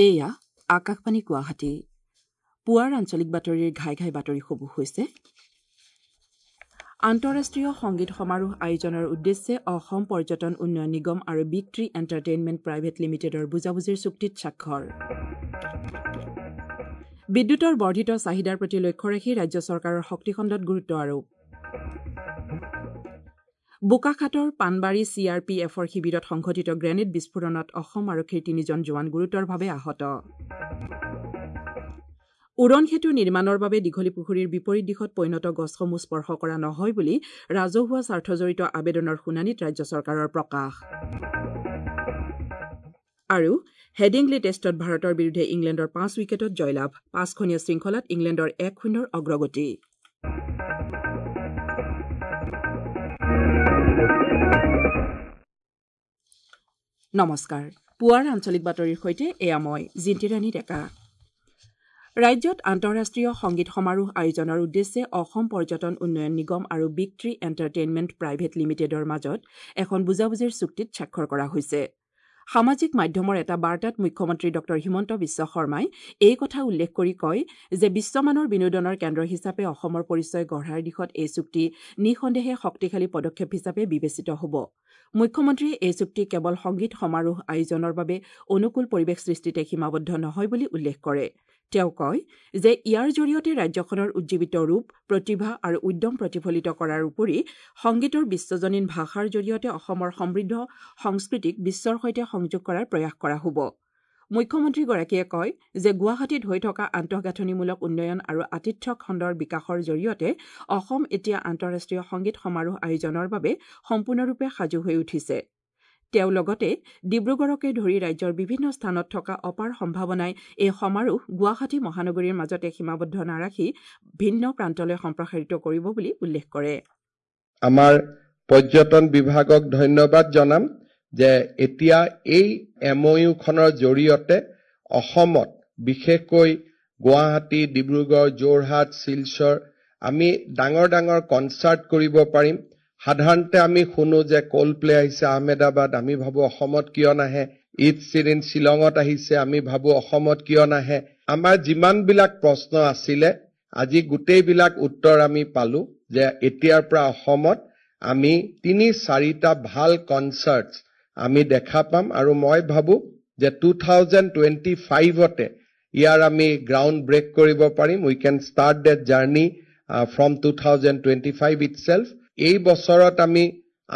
এয়া আকাশবাণী গুৱাহাটী। পুৱাৰ আঞ্চলিক বাতৰিৰ ঘাই ঘাই বাতৰিসমূহ হৈছে: আন্তঃৰাষ্ট্ৰীয় সংগীত সমাৰোহ আয়োজনৰ উদ্দেশ্যে অসম পৰ্যটন উন্নয়ন নিগম আৰু বিগ ট্ৰী এণ্টাৰটেইনমেণ্ট প্ৰাইভেট লিমিটেডৰ বুজাবুজিৰ চুক্তিত স্বাক্ষৰ। বিদ্যুতৰ বৰ্ধিত চাহিদাৰ প্ৰতি লক্ষ্য ৰাখি ৰাজ্য চৰকাৰৰ শক্তিখণ্ডত গুৰুত্ব আৰোপ। বোকাখাতৰ পাণবাৰী চি আৰ পি এফৰ শিবিৰত সংঘটিত গ্ৰেনেড বিস্ফোৰণত অসম আৰক্ষীৰ 3জন জোৱান গুৰুতৰভাৱে আহত। উৰণ সেতু নিৰ্মাণৰ বাবে দীঘলীপুখুৰীৰ বিপৰীত দিশত পৈণত গছসমূহ স্পৰ্শ কৰা নহয় বুলি ৰাজহুৱা স্বাৰ্থজড়িত আবেদনৰ শুনানিত ৰাজ্য চৰকাৰৰ প্ৰকাশ। আৰু হেডিংলি টেষ্টত ভাৰতৰ বিৰুদ্ধে ইংলেণ্ডৰ 5 উইকেটত জয়লাভ। 5খনীয়া শৃংখলাত ইংলেণ্ডৰ 1-0 অগ্ৰগতি। নমস্কাৰ, পুৱাৰ আঞ্চলিক বাতৰিৰ সৈতে এয়া মই জিন্তিৰাণী ডেকা। ৰাজ্যত আন্তঃৰাষ্ট্ৰীয় সংগীত সমাৰোহ আয়োজনৰ উদ্দেশ্যে অসম পৰ্যটন উন্নয়ন নিগম আৰু বিগ ট্ৰী এণ্টাৰটেইনমেণ্ট প্ৰাইভেট লিমিটেডৰ মাজত এখন বুজাবুজিৰ চুক্তিত স্বাক্ষৰ কৰা হৈছে। সামাজিক মাধ্যমৰ এটা বাৰ্তাত মুখ্যমন্ত্ৰী ডঃ হিমন্ত বিশ্ব শৰ্মাই এই কথা উল্লেখ কৰি কয় যে বিশ্বমানৰ বিনোদনৰ কেন্দ্ৰ হিচাপে অসমৰ পৰিচয় গঢ়াৰ দিশত এই চুক্তি নিঃসন্দেহে শক্তিশালী পদক্ষেপ হিচাপে বিবেচিত হ'ব। মুখ্যমন্ত্ৰীয়ে এই চুক্তি কেৱল সংগীত সমাৰোহ আয়োজনৰ বাবে অনুকূল পৰিৱেশ সৃষ্টিতে সীমাবদ্ধ নহয় বুলি উল্লেখ কৰে। তেওঁ কয় যে ইয়াৰ জৰিয়তে ৰাজ্যখনৰ উজ্জীৱিত ৰূপ, প্ৰতিভা আৰু উদ্যম প্ৰতিফলিত কৰাৰ উপৰি সংগীতৰ বিশ্বজনীন ভাষাৰ জৰিয়তে অসমৰ সমৃদ্ধ সংস্কৃতিক বিশ্বৰ সৈতে সংযোগ কৰাৰ প্ৰয়াস কৰা হ'ব। মুখ্যমন্ত্ৰীগৰাকীয়ে কয় যে গুৱাহাটীত হৈ থকা আন্তঃগাঁথনিমূলক উন্নয়ন আৰু আতিথ্য খণ্ডৰ বিকাশৰ জৰিয়তে অসম এতিয়া আন্তঃৰাষ্ট্ৰীয় সংগীত সমাৰোহ আয়োজনৰ বাবে সম্পূৰ্ণৰূপে সাজু হৈ উঠিছে। তেওঁ লগতে ডিব্ৰুগড়কে ধৰি ৰাজ্যৰ বিভিন্ন স্থানত থকা অপাৰ সম্ভাৱনাই এই সমাৰোহ গুৱাহাটী মহানগৰীৰ মাজতে সীমাবদ্ধ নাৰাখি ভিন্ন প্ৰান্তলৈ সম্প্ৰসাৰিত কৰিব বুলি উল্লেখ কৰে। আমাৰ পৰ্যটন বিভাগক ধন্যবাদ জনাম যে এতিয়া এই এম অ' ইউখনৰ জৰিয়তে অসমত বিশেষকৈ গুৱাহাটী, ডিব্ৰুগড়, যোৰহাট, শিলচৰ আমি ডাঙৰ ডাঙৰ কনচাৰ্ট কৰিব পাৰিম। সাধাৰণতে আমি শুনো যে কল্ড প্লে আহিছে আহমেদাবাদ, আমি ভাবো অসমত কিয় নাহে। ঈদ চিৰিন শ্বিলঙত আহিছে, আমি ভাবো অসমত কিয় নাহে। আমাৰ যিমানবিলাক প্ৰশ্ন আছিলে আজি গোটেইবিলাক উত্তৰ আমি পালো যে এতিয়াৰ পৰা অসমত আমি 3-4টা ভাল কনচাৰ্ট আমি দেখা পাম। আৰু মই ভাবো যে 2025তে ইয়াৰ আমি গ্ৰাউণ্ড ব্ৰেক কৰিব পাৰিম। We can start that journey from 2025 itself. এই বছৰত আমি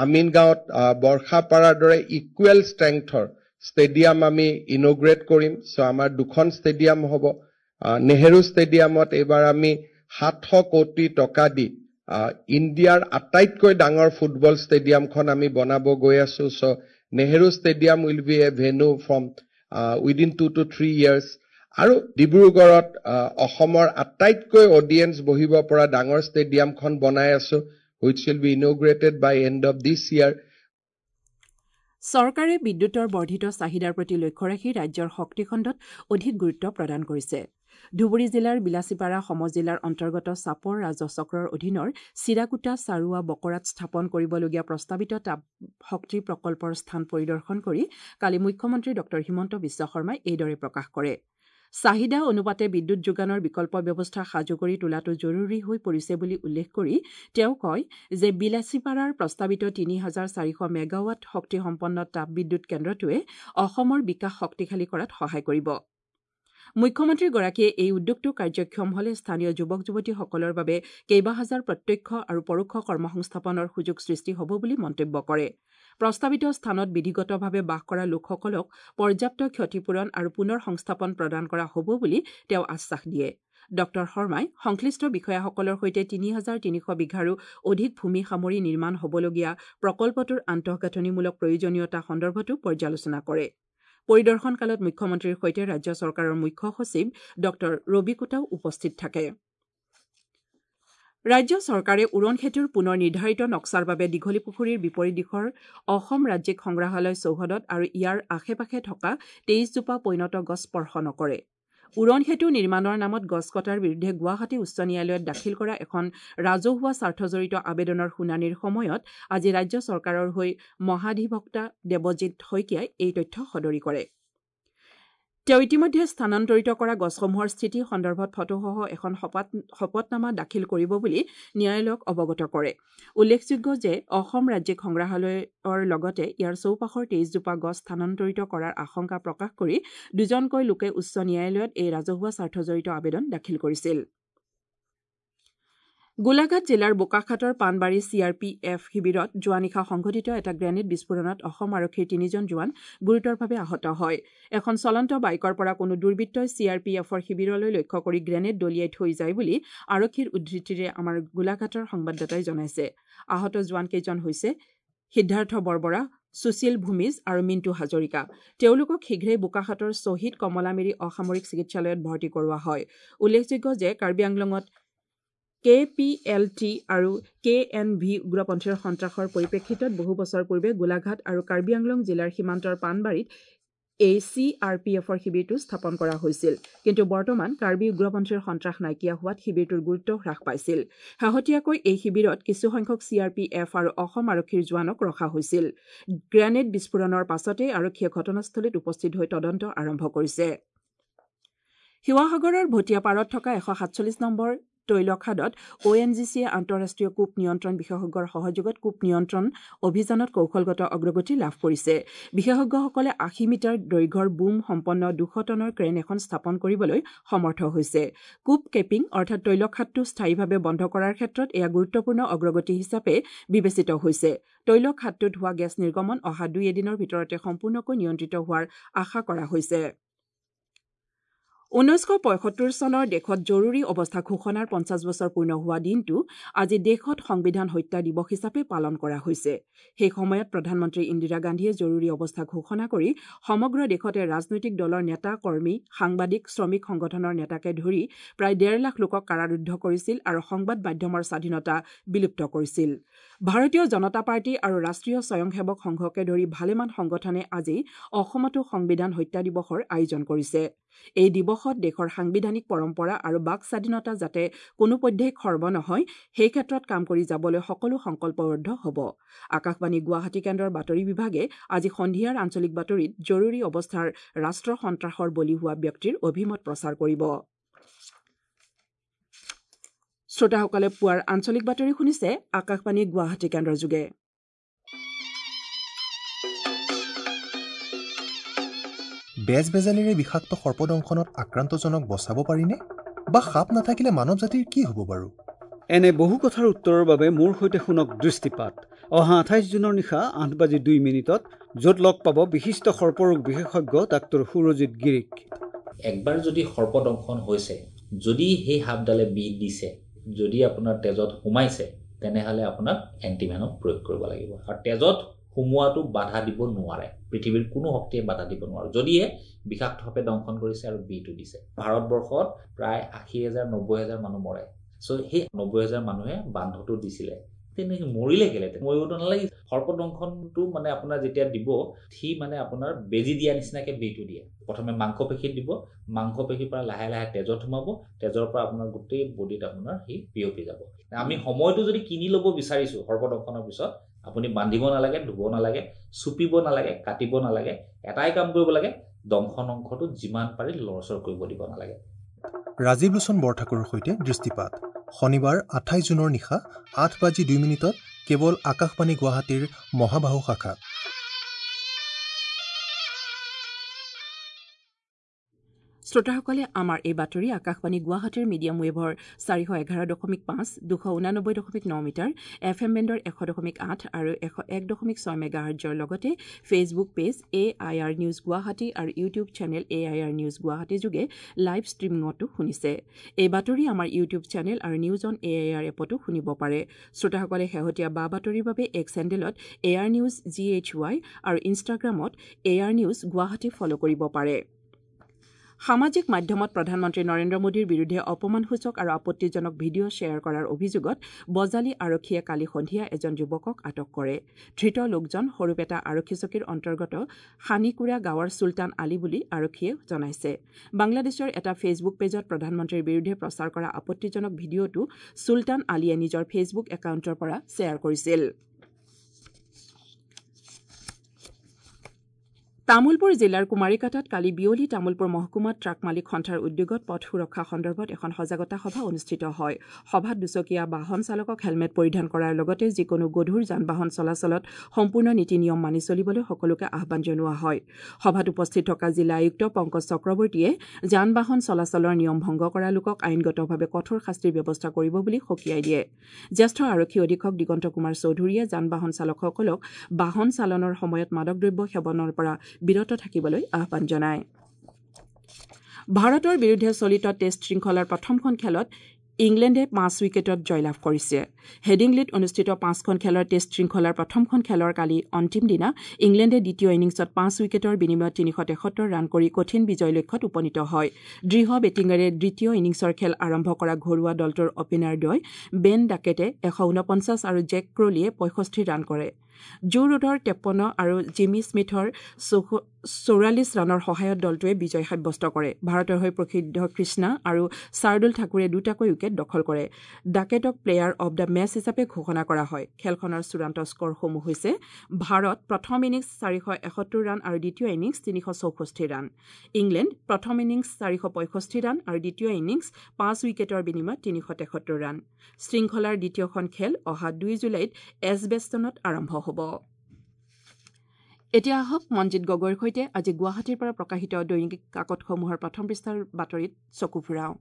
আমিনগাঁৱত বৰ্ষাপাৰাৰ দৰে ইকুৱেল ষ্ট্ৰেংথৰ ষ্টেডিয়াম আমি ইনগ্ৰেট কৰিম। চ' আমাৰ 2খন ষ্টেডিয়াম হ'ব। নেহেৰু ষ্টেডিয়ামত এইবাৰ আমি 700 কোটি টকা দি ইণ্ডিয়াৰ আটাইতকৈ ডাঙৰ ফুটবল ষ্টেডিয়ামখন আমি বনাব গৈ আছো। So Nehru stadium will be a venue from within 2 to 3 years. আৰু ডিব্ৰুগড়ত অসমৰ আটাইতকৈ অডিয়েঞ্চ বহিব পৰা ডাঙৰ ষ্টেডিয়ামখন বনাই আছো, which will be inaugurated by end of this year. চৰকাৰে বিদ্যুতৰ বৰ্ধিত চাহিদাৰ প্ৰতি লক্ষ্য ৰাখি ৰাজ্যৰ শক্তিখণ্ডত অধিক গুৰুত্ব প্ৰদান কৰিছে। ধুবুৰী জিলাৰ বিলাসীপাৰা সমজিলাৰ অন্তৰ্গত চাপৰ ৰাজহ চক্ৰৰ অধীনৰ চিৰাকুটা চাৰুৱা বকৰাত স্থাপন কৰিবলগীয়া প্ৰস্তাৱিত তাপ শক্তি প্ৰকল্পৰ স্থান পৰিদৰ্শন কৰি কালি মুখ্যমন্ত্ৰী ডঃ হিমন্ত বিশ্ব শৰ্মাই এইদৰে প্ৰকাশ কৰে। চাহিদা অনুপাতে বিদ্যুৎ যোগানৰ বিকল্প ব্যৱস্থা সাজু কৰি তোলাটো জৰুৰী হৈ পৰিছে বুলি উল্লেখ কৰি তেওঁ কয় যে বিলাসীপাৰাৰ প্ৰস্তাৱিত 3400 মেগাৱাট শক্তিসম্পন্ন তাপ বিদ্যুৎ কেন্দ্ৰটোৱে অসমৰ বিকাশ শক্তিশালী কৰাত সহায় কৰিব। মুখ্যমন্ত্ৰীগৰাকীয়ে এই উদ্যোগটো কাৰ্যক্ষম হ'লে স্থানীয় যুৱক যুৱতীসকলৰ বাবে কেইবাহাজাৰ প্ৰত্যক্ষ আৰু পৰোক্ষ কৰ্মসংস্থাপনৰ সুযোগ সৃষ্টি হ'ব বুলি মন্তব্য কৰে। প্ৰস্তাৱিত স্থানত বিধিগতভাৱে বাস কৰা লোকসকলক পৰ্যাপ্ত ক্ষতিপূৰণ আৰু পুনৰ সংস্থাপন প্ৰদান কৰা হ'ব বুলি তেওঁ আশ্বাস দিয়ে। ডঃ শৰ্মাই সংশ্লিষ্ট বিষয়াসকলৰ সৈতে 3300 বিঘাৰো অধিক ভূমি সামৰি নিৰ্মাণ হ'বলগীয়া প্ৰকল্পটোৰ আন্তঃগাঁথনিমূলক প্ৰয়োজনীয়তা সন্দৰ্ভতো পৰ্যালোচনা কৰে। পৰিদৰ্শনকালত মুখ্যমন্ত্ৰীৰ সৈতে ৰাজ্য চৰকাৰৰ মুখ্য সচিব ডঃ ৰবি কোটাও উপস্থিত থাকে। ৰাজ্য চৰকাৰে উৰণ সেতুৰ পুনৰ নিৰ্ধাৰিত নক্সাৰ বাবে দীঘলীপুখুৰীৰ বিপৰীত দিশৰ অসম ৰাজ্যিক সংগ্ৰহালয় চৌহদত আৰু ইয়াৰ আশে পাশে থকা 23 জোপা পৈণত গছ স্পৰ্শ নকৰে। উৰণ সেতু নিৰ্মাণৰ নামত গছ কটাৰ বিৰুদ্ধে গুৱাহাটী উচ্চ ন্যায়ালয়ত দাখিল কৰা এখন ৰাজহুৱা স্বাৰ্থজড়িত আবেদনৰ শুনানিৰ সময়ত আজি ৰাজ্য চৰকাৰৰ হৈ মহাধিবক্তা দেৱজিৎ শইকীয়াই এই তথ্য সদৰি কৰে। তেওঁ ইতিমধ্যে স্থানান্তৰিত কৰা গছসমূহৰ স্থিতি সন্দৰ্ভত ফটোসহ এখন শপতনামা দাখিল কৰিব বুলি ন্যায়ালয়ক অৱগত কৰে। উল্লেখযোগ্য যে অসম ৰাজ্যিক সংগ্ৰহালয়ৰ লগতে ইয়াৰ চৌপাশৰ 23জোপা গছ স্থানান্তৰিত কৰাৰ আশংকা প্ৰকাশ কৰি দুজনকৈ লোকে উচ্চ ন্যায়ালয়ত এই ৰাজহুৱা স্বাৰ্থজড়িত আবেদন দাখিল কৰিছিল। গোলাঘাট জিলাৰ বোকাখাটৰ Panbari C R P F শিবিৰত যোৱা নিশা সংঘটিত এটা গ্ৰেনেড বিস্ফোৰণত অসম আৰক্ষীৰ 3জন জোৱান গুৰুতৰভাৱে আহত হয়। এখন চলন্ত বাইকৰ পৰা কোনো দুৰ্বৃত্তই চি আৰ পি এফৰ শিবিৰলৈ লক্ষ্য কৰি গ্ৰেনেড দলিয়াই থৈ যায় বুলি আৰক্ষীৰ উদ্ধৃতিৰে আমাৰ গোলাঘাটৰ সংবাদদাতাই জনাইছে। আহত জোৱানকেইজন হৈছে সিদ্ধাৰ্থ বৰবৰা, সুশীল ভূমিজ আৰু মিণ্টু হাজৰিকা। তেওঁলোকক শীঘ্ৰেই বোকাখাটৰ শ্বহীদ কমলামেৰী অসামৰিক চিকিৎসালয়ত ভৰ্তি কৰোৱা হয়। উল্লেখযোগ্য যে কাৰ্বি আংলঙত কে পি এল টি আৰু কে এন ভি উগ্ৰপন্থীৰ সন্ত্ৰাসৰ পৰিপ্ৰেক্ষিতত বহু বছৰ পূৰ্বে গোলাঘাট আৰু কাৰ্বি আংলং জিলাৰ সীমান্তৰ পাণবাৰীত এই চি আৰ পি এফৰ শিবিৰটো স্থাপন কৰা হৈছিল। কিন্তু বৰ্তমান কাৰ্বি উগ্ৰপন্থীৰ সন্ত্ৰাস নাইকিয়া হোৱাত শিবিৰটোৰ গুৰুত্ব হ্ৰাস পাইছিল। শেহতীয়াকৈ এই শিবিৰত কিছুসংখ্যক চি আৰ পি এফ আৰু অসম আৰক্ষীৰ জোৱানক ৰখা হৈছিল। গ্ৰেনেড বিস্ফোৰণৰ পাছতেই আৰক্ষীয়ে ঘটনাস্থলীত উপস্থিত হৈ তদন্ত আৰম্ভ কৰিছে। শিৱসাগৰৰ ভটিয়াপাৰত থকা 147 নম্বৰ তৈলখাদত অ' এন জি চিয়ে আন্তঃৰাষ্ট্ৰীয় কূপ নিয়ন্ত্ৰণ বিশেষজ্ঞৰ সহযোগত কূপ নিয়ন্ত্ৰণ অভিযানত কৌশলগত অগ্ৰগতি লাভ কৰিছে। বিশেষজ্ঞসকলে 80 মিটাৰ দৈৰ্ঘ্যৰ বুম সম্পন্ন 200 টনৰ ক্ৰেন এখন স্থাপন কৰিবলৈ সমৰ্থ হৈছে। কূপ কেপিং অৰ্থাৎ তৈলখাদটো স্থায়ীভাৱে বন্ধ কৰাৰ ক্ষেত্ৰত এয়া গুৰুত্বপূৰ্ণ অগ্ৰগতি হিচাপে বিবেচিত হৈছে। তৈলখাদটোত হোৱা গেছ নিৰ্গমন অহা 2 এদিনৰ ভিতৰতে সম্পূৰ্ণকৈ নিয়ন্ত্ৰিত হোৱাৰ আশা কৰা হৈছে। 1975 চনৰ দেশত জৰুৰী অৱস্থা ঘোষণাৰ 50 বছৰ পূৰ্ণ হোৱা দিনটো আজি দেশত সংবিধান হত্যা দিৱস হিচাপে পালন কৰা হৈছে। সেই সময়ত প্ৰধানমন্ত্ৰী ইন্দিৰা গান্ধীয়ে জৰুৰী অৱস্থা ঘোষণা কৰি সমগ্ৰ দেশতে ৰাজনৈতিক দলৰ নেতা, কৰ্মী, সাংবাদিক, শ্ৰমিক সংগঠনৰ নেতাকে ধৰি প্ৰায় 1.5 লাখ লোকক কাৰাৰুদ্ধ কৰিছিল আৰু সংবাদ মাধ্যমৰ স্বাধীনতা বিলুপ্ত কৰিছিল। ভাৰতীয় জনতা পাৰ্টী আৰু ৰাষ্ট্ৰীয় স্বয়ংসেৱক সংঘকে ধৰি ভালেমান সংগঠনে আজি অসমতো সংবিধান হত্যা দিৱসৰ আয়োজন কৰিছে। এই দিৱসত দেশৰ সাংবিধানিক পৰম্পৰা আৰু বাক স্বাধীনতা যাতে কোনোপধ্যেই খৰ্ব নহয় সেই ক্ষেত্ৰত কাম কৰি যাবলৈ সকলো সংকল্পবদ্ধ হ'ব। আকাশবাণী গুৱাহাটী কেন্দ্ৰৰ বাতৰি বিভাগে আজি সন্ধিয়াৰ আঞ্চলিক বাতৰিত জৰুৰী অৱস্থাৰ ৰাষ্ট্ৰ সন্ত্ৰাসৰ বলি হোৱা ব্যক্তিৰ অভিমত প্ৰচাৰ কৰিব। শ্ৰোতাসকলে পুৱাৰ আঞ্চলিক বাতৰি শুনিছে আকাশবাণী গুৱাহাটী কেন্দ্ৰৰ যোগে। বেজ বেজালিৰে বিষাক্ত সৰ্পদংশনত আক্ৰান্তজনক বচাব পাৰিনে? বা সাপ নাথাকিলে মানৱ জাতিৰ কি হ'ব বাৰু? এনে বহু কথাৰ উত্তৰৰ বাবে মোৰ সৈতে শুনক দৃষ্টিপাত অহা 28 জুনৰ নিশা 8:02, য'ত লগ পাব বিশিষ্ট সৰ্পৰোগ বিশেষজ্ঞ ডাক্তৰ সুৰজিৎ গিৰিক। একবাৰ যদি সৰ্পদংশন হৈছে, যদি সেই সাপডালে বিষ দিছে, যদি আপোনাৰ তেজত সোমাইছে, তেনেহ'লে আপোনাক এণ্টিভেনম প্ৰয়োগ কৰিব লাগিব। আৰু তেজত সোমোৱাটো বাধা দিব নোৱাৰে, পৃথিৱীৰ কোনো শক্তিয়ে বাধা দিব নোৱাৰে, যদিহে বিষাক্ত সাপে দংশন কৰিছে আৰু বিহটো দিছে। ভাৰতবৰ্ষত প্ৰায় 80,000 90,000 মানুহ মৰে। চ' সেই 90,000 মানুহে বান্ধটো দিছিলে, তেনেকৈ মৰিলে কেলে? মৰিবতো নালাগে। সৰ্পদংশনটো মানে আপোনাৰ যেতিয়া দিব, সি মানে আপোনাৰ বেজী দিয়া নিচিনাকৈ বিহটো দিয়ে। প্ৰথমে মাংসপেশীত দিব, মাংসপেশীৰ পৰা লাহে লাহে তেজত সোমাব, তেজৰ পৰা আপোনাৰ গোটেই বডিত আপোনাৰ সি বিয়পি যাব। আমি সময়টো যদি কিনি ল'ব বিচাৰিছোঁ সৰ্পদংশনৰ পিছত, আপুনি বান্ধিব নালাগে, ধুব নালাগে, চুপিব নালাগে, কাটিব নালাগে, এটাই কাম কৰিব লাগে, দংশন অংশটো যিমান পাৰি লৰচৰ কৰিব দিব নালাগে। ৰাজীৱ লোচন বৰঠাকুৰৰ সৈতে দৃষ্টিপাত শনিবাৰ 28 জুনৰ নিশা 8:02 কেৱল আকাশবাণী গুৱাহাটীৰ মহাবাহু শাখাত। শ্ৰোতাসকলে আমাৰ এই বাতৰি আকাশবাণী গুৱাহাটীৰ মিডিয়াম ৱেভৰ 411.5, 289.9 মিটাৰ, এফ এম বেণ্ডৰ 100.8 আৰু 101.6 মেগাহাৰ্টজৰ লগতে Facebook page A I R news Guwahati আৰু YouTube channel A I R news Guwahati যোগে লাইভ ষ্ট্ৰীমিঙতো শুনিছে। এই বাতৰি আমাৰ ইউটিউব চেনেল আৰু news on A I R এপতো শুনিব পাৰে। শ্ৰোতাসকলে শেহতীয়া বা বাতৰিৰ বাবে এক্স হেণ্ডেলত A R news G H Y আৰু ইনষ্টাগ্ৰামত A R news Guwahati follow কৰিব পাৰে। সামাজিক মাধ্যমত প্ৰধানমন্ত্ৰী নৰেন্দ্ৰ মোদীৰ বিৰুদ্ধে অপমানসূচক আৰু আপত্তিজনক ভিডিঅ' শ্বেয়াৰ কৰাৰ অভিযোগত বজালী আৰক্ষীয়ে কালি সন্ধিয়া এজন যুৱকক আটক কৰে। ধৃত লোকজন সৰুপেটা আৰক্ষী চকীৰ অন্তৰ্গত সানিকুৰা গাঁৱৰ চুলতান আলী বুলি আৰক্ষীয়ে জনাইছে। বাংলাদেশৰ এটা ফেচবুক পেজত প্ৰধানমন্ত্ৰীৰ বিৰুদ্ধে প্ৰচাৰ কৰা আপত্তিজনক ভিডিঅ'টো চুলতান আলীয়ে নিজৰ ফেচবুক একাউণ্টৰ পৰা শ্বেয়াৰ কৰিছিল। তামুলপুৰ জিলাৰ কুমাৰীকাটাত কালি বিয়লি তামুলপুৰ মহকুমাত ট্ৰাক মালিক সন্থাৰ উদ্যোগত পথ সুৰক্ষা সন্দৰ্ভত এখন সজাগতা সভা অনুষ্ঠিত হয়। সভাত দুচকীয়া বাহন চালকক হেলমেট পৰিধান কৰাৰ লগতে যিকোনো গধুৰ যান বাহন চলাচলত সম্পূৰ্ণ নীতি নিয়ম মানি চলিবলৈ সকলোকে আহ্বান জনোৱা হয়। সভাত উপস্থিত থকা জিলা আয়ুক্ত পংকজ চক্ৰৱৰ্তীয়ে যান বাহন চলাচলৰ নিয়ম ভংগ কৰা লোকক আইনগতভাৱে কঠোৰ শাস্তিৰ ব্যৱস্থা কৰিব বুলি সকীয়াই দিয়ে। জ্যেষ্ঠ আৰক্ষী অধীক্ষক দিগন্ত কুমাৰ চৌধুৰীয়ে যান বাহন চালকসকলক বাহন চালনৰ সময়ত মাদক দ্ৰব্য সেৱনৰ পৰা বিৰত থাকিবলৈ আহ্বান জনায়। ভাৰতৰ বিৰুদ্ধে চলিত টেষ্ট শৃংখলাৰ প্ৰথমখন খেলত ইংলেণ্ডে 5 উইকেটত জয়লাভ কৰিছে। হেডিংলিত অনুষ্ঠিত 5খন খেলৰ টেষ্ট শৃংখলাৰ প্ৰথমখন খেলৰ কালি অন্তিম দিনা ইংলেণ্ডে দ্বিতীয় ইনিংছত 5 উইকেটৰ বিনিময়ত 373 ৰান কৰি কঠিন বিজয় লক্ষ্যত উপনীত হয়। দৃঢ় বেটিঙেৰে দ্বিতীয় ইনিংছৰ খেল আৰম্ভ কৰা ঘৰুৱা দলটোৰ অপেনাৰদ্বয় বেন ডাকেটে 149 আৰু জেক ক্ৰলিয়ে 65 ৰান কৰে। জো ৰুটৰ 53 আৰু জিমি স্মিথৰ 44 ৰানৰ সহায়ত দলটোৱে বিজয় সাব্যস্ত কৰে। ভাৰতৰ হৈ প্ৰসিদ্ধ কৃষ্ণা আৰু শাৰ্দুল ঠাকুৰে দুটাকৈ উইকেট দখল কৰে। ডাকেটক প্লেয়াৰ অব the match হিচাপে ঘোষণা কৰা হয়। খেলখনৰ চূড়ান্ত স্কৰসমূহ হৈছে ভাৰত প্ৰথম ইনিংছ 471 ৰান আৰু দ্বিতীয় ইনিংছ 364 ৰান, ইংলেণ্ড প্ৰথম ইনিংছ 465 ৰান আৰু দ্বিতীয় ইনিংছ 5 উইকেটৰ বিনিময়ত 373 ৰান। শৃংখলাৰ দ্বিতীয়খন খেল অহা 2 জুলাইত এছবেষ্টনত আৰম্ভ হ'ব। এতিয়া আহক মঞ্জিত গগৈৰ সৈতে আজি গুৱাহাটীৰ পৰা প্ৰকাশিত দৈনিক কাকতসমূহৰ প্ৰথম পৃষ্ঠাৰ বাতৰিত চকু ফুৰাওঁ।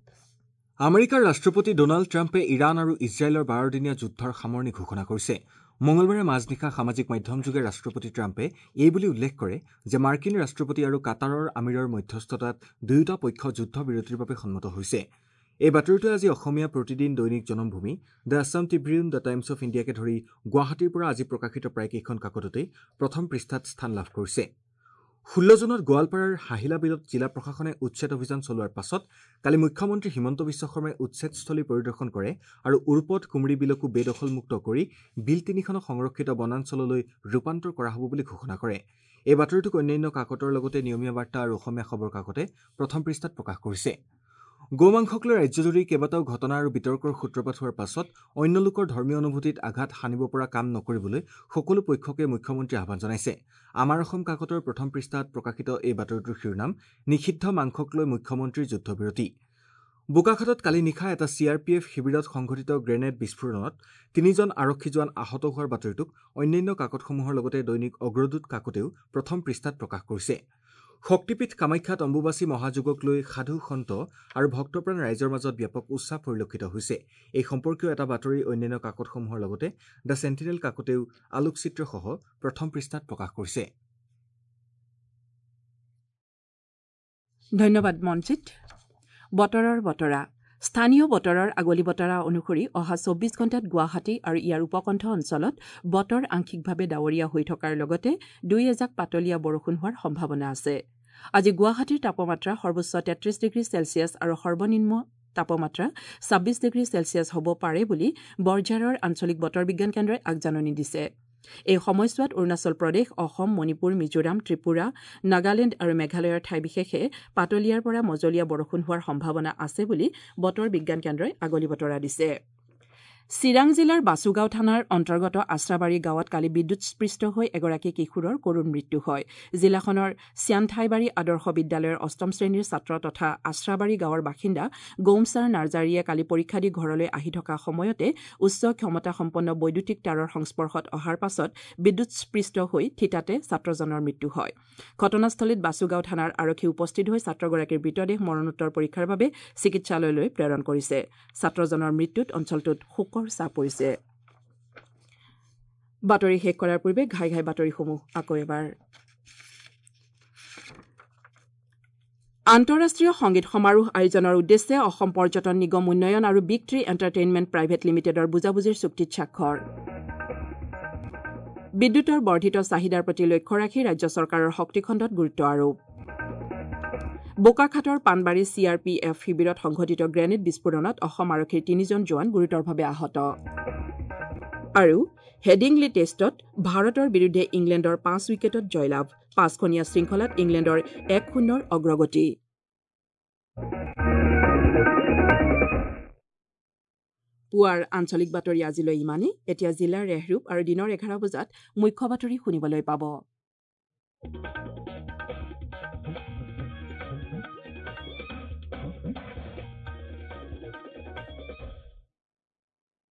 আমেৰিকাৰ ৰাষ্ট্ৰপতি ডনাল্ড ট্ৰাম্পে ইৰাণ আৰু ইজৰাইলৰ 12দিনীয়া যুদ্ধৰ সামৰণি ঘোষণা কৰিছে। মঙলবাৰে মাজনিশা সামাজিক মাধ্যমযোগে ৰাষ্ট্ৰপতি ট্ৰাম্পে এই বুলি উল্লেখ কৰে যে মাৰ্কিন ৰাষ্ট্ৰপতি আৰু কাটাৰৰ আমিৰৰ মধ্যস্থতাত দুয়োটা পক্ষ যুদ্ধবিৰতিৰ বাবে সন্মত হৈছে। এই বাতৰিটোৱে আজি Asomiya Pratidin, Dainik Janambhumi, the Assam Tribune, the Times of ইণ্ডিয়াকে ধৰি গুৱাহাটীৰ পৰা আজি প্ৰকাশিত প্ৰায় কেইখন কাকততেই প্ৰথম পৃষ্ঠাত স্থান লাভ কৰিছে। 16 জুনত গোৱালপাৰাৰ হাহিলা বিলত জিলা প্ৰশাসনে উচ্ছেদ অভিযান চলোৱাৰ পাছত কালি মুখ্যমন্ত্ৰী হিমন্ত বিশ্ব শৰ্মাই উচ্ছেদস্থলী পৰিদৰ্শন কৰে আৰু উৰপদ কুমৰি বিলকো বেদখলমুক্ত কৰি বিল তিনিখনক সংৰক্ষিত বনাঞ্চললৈ ৰূপান্তৰ কৰা হ'ব বুলি ঘোষণা কৰে। এই বাতৰিটোক অন্যান্য কাকতৰ লগতে নিয়মীয়া বাৰ্তা আৰু অসমীয়া খবৰ কাকতে প্ৰথম পৃষ্ঠাত প্ৰকাশ কৰিছে। গৌমাংসক লৈ ৰাজ্যজুৰি কেইবাটাও ঘটনা আৰু বিতৰ্কৰ সূত্ৰপাত হোৱাৰ পাছত অন্য লোকৰ ধৰ্মীয় অনুভূতিত আঘাত হানিব পৰা কাম নকৰিবলৈ সকলো পক্ষকে মুখ্যমন্ত্ৰীয়ে আহ্বান জনাইছে। আমাৰ অসম কাকতৰ প্ৰথম পৃষ্ঠাত প্ৰকাশিত এই বাতৰিটোৰ শিৰোনাম নিষিদ্ধ মাংসক লৈ মুখ্যমন্ত্ৰীৰ যুদ্ধবিৰতি। বোকাখাতত কালি নিশা এটা চি আৰ পি এফ শিবিৰত সংঘটিত গ্ৰেনেড বিস্ফোৰণত 3জন আৰক্ষী জোৱান আহত হোৱাৰ বাতৰিটোক অন্যান্য কাকতসমূহৰ লগতে দৈনিক অগ্ৰদূত কাকতেও প্ৰথম পৃষ্ঠাত প্ৰকাশ কৰিছে। শক্তিপীঠ কামাখ্যাত অম্বুবাচী মহাযোগক লৈ সাধু সন্ত আৰু ভক্তপ্ৰাণ ৰাইজৰ মাজত ব্যাপক উৎসাহ পৰিলক্ষিত হৈছে। এই সম্পৰ্কীয় এটা বাতৰি অন্যান্য কাকতসমূহৰ লগতে the sentinel কাকতেও আলোকচিত্ৰসহ প্ৰথম পৃষ্ঠাত প্ৰকাশ কৰিছে। ধন্যবাদ মঞ্জিত। বতৰৰ বতৰা। স্থানীয় বতৰৰ আগলি বতৰা অনুসৰি অহা 24 ঘণ্টাত গুৱাহাটী আৰু ইয়াৰ উপকণ্ঠ অঞ্চলত বতৰ আংশিকভাৱে ডাৱৰীয়া হৈ থকাৰ লগতে দুই এজাক পাতলীয়া বৰষুণ হোৱাৰ সম্ভাৱনা আছে। আজি গুৱাহাটীৰ তাপমাত্ৰা সৰ্বোচ্চ 33 ডিগ্ৰী চেলছিয়াছ আৰু সৰ্বনিম্ন তাপমাত্ৰা 26 ডিগ্ৰী চেলছিয়াছ হ'ব পাৰে বুলি বৰঝাৰৰ আঞ্চলিক বতৰ বিজ্ঞান কেন্দ্ৰই আগজাননী দিছে। এই সময়ছোৱাত অৰুণাচল প্ৰদেশ, অসম, মণিপুৰ, মিজোৰাম, ত্ৰিপুৰা, নাগালেণ্ড আৰু মেঘালয়ৰ ঠাই বিশেষে পাতলীয়াৰ পৰা মজলীয়া বৰষুণ হোৱাৰ সম্ভাৱনা আছে বুলি বতৰ বিজ্ঞান কেন্দ্ৰই আগলি বতৰা দিছে। চিৰাং জিলাৰ বাসুগাঁও থানাৰ অন্তৰ্গত আশ্ৰাবাৰী গাঁৱত কালি বিদ্যুৎস্পৃষ্ট হৈ এগৰাকী কিশোৰৰ কৰুণ মৃত্যু হয়। জিলাখনৰ চিয়ানঠাইবাৰী আদৰ্শ বিদ্যালয়ৰ অষ্টম শ্ৰেণীৰ ছাত্ৰ তথা আশ্ৰাবাৰী গাঁৱৰ বাসিন্দা গৌমছাৰ নাৰ্জাৰীয়ে কালি পৰীক্ষা দি ঘৰলৈ আহি থকা সময়তে উচ্চ ক্ষমতাসম্পন্ন বৈদ্যুতিক তাঁৰৰ সংস্পৰ্শত অহাৰ পাছত বিদ্যুৎস্পৃষ্ট হৈ থিতাতে ছাত্ৰজনৰ মৃত্যু হয়। ঘটনাস্থলীত বাসুগাঁও থানাৰ আৰক্ষী উপস্থিত হৈ ছাত্ৰগৰাকীৰ মৃতদেহ মৰণোত্তৰ পৰীক্ষাৰ বাবে চিকিৎসালয়লৈ প্ৰেৰণ কৰিছে। ছাত্ৰজনৰ মৃত্যুত অঞ্চলটোত শোকৰ ছাঁ পৰিছে। বাতৰি শেষ কৰাৰ পূৰ্বে ঘাই ঘাই বাতৰিসমূহ আকৌ এবাৰ। আন্তঃৰাষ্ট্ৰীয় সংগীত সমাৰোহ আয়োজনৰ উদ্দেশ্যে অসম পৰ্যটন নিগম উন্নয়ন আৰু বিগ ট্ৰী এণ্টাৰটেইনমেণ্ট প্ৰাইভেট লিমিটেডৰ বুজাবুজিৰ চুক্তিত স্বাক্ষৰ। বিদ্যুতৰ বৰ্ধিত চাহিদাৰ প্ৰতি লক্ষ্য ৰাখি ৰাজ্য চৰকাৰৰ শক্তিখণ্ডত গুৰুত্ব আৰোপ। বোকাখাটৰ Panbari C R P F শিবিৰত সংঘটিত গ্ৰেনেড বিস্ফোৰণত অসম আৰক্ষীৰ 3জন জোৱান গুৰুতৰভাৱে আহত। আৰু হেডিংলি টেষ্টত ভাৰতৰ বিৰুদ্ধে ইংলেণ্ডৰ 5 উইকেটত জয়লাভ। 5খনীয়া শৃংখলাত ইংলেণ্ডৰ 1-0 অগ্ৰগতি। পুৱাৰ আঞ্চলিক বাতৰি আজিলৈ ইমানেই। এতিয়া জিলাৰ ৰেহৰূপ আৰু দিনৰ 11 বজাত মুখ্য বাতৰি শুনিবলৈ পাব।